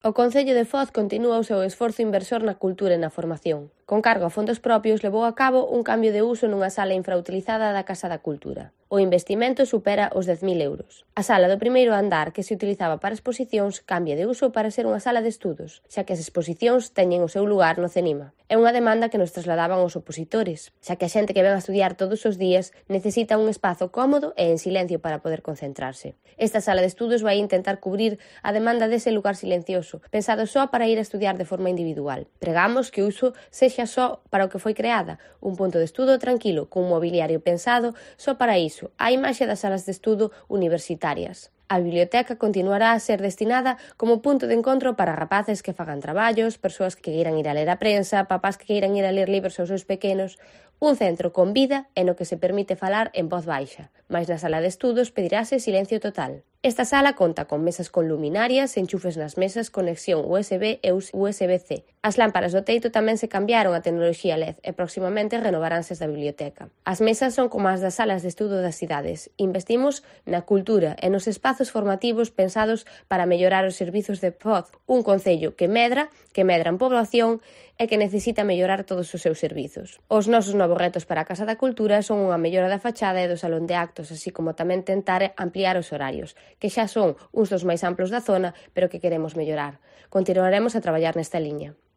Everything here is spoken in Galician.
O Concello de Foz continúa o seu esforzo inversor na cultura e na formación. Con cargo a fondos propios, levou a cabo un cambio de uso nunha sala infrautilizada da Casa da Cultura. O investimento supera os 10.000 euros. A sala do primeiro andar, que se utilizaba para exposicións, cambia de uso para ser unha sala de estudos, xa que as exposicións teñen o seu lugar no CENIMA. É unha demanda que nos trasladaban os opositores, xa que a xente que ven a estudiar todos os días necesita un espazo cómodo e en silencio para poder concentrarse. Esta sala de estudos vai intentar cubrir a demanda dese lugar silencioso, pensado só para ir a estudiar de forma individual. Pregamos que o uso sexa só para o que foi creada, un punto de estudo tranquilo, cun mobiliario pensado só para iso, a imaxe das salas de estudo universitarias. A biblioteca continuará a ser destinada como punto de encontro para rapaces que fagan traballos, persoas que queiran ir a ler a prensa, papás que queiran ir a ler libros aos seus pequenos, un centro con vida e no que se permite falar en voz baixa, mais na sala de estudos pedirase silencio total. Esta sala conta con mesas con luminarias, enchufes nas mesas, conexión USB e USB-C. As lámparas do teito tamén se cambiaron a tecnoloxía LED e próximamente renovaránse as da biblioteca. As mesas son como as das salas de estudo das cidades. Investimos na cultura e nos espazos formativos pensados para mellorar os servizos de Foz, un concello que medra en población e que necesita mellorar todos os seus servizos. Os nosos novos retos para a Casa da Cultura son unha mellora da fachada e do salón de actos, así como tamén tentar ampliar os horarios, que xa son uns dos máis amplos da zona, pero que queremos mellorar. Continuaremos a traballar nesta liña.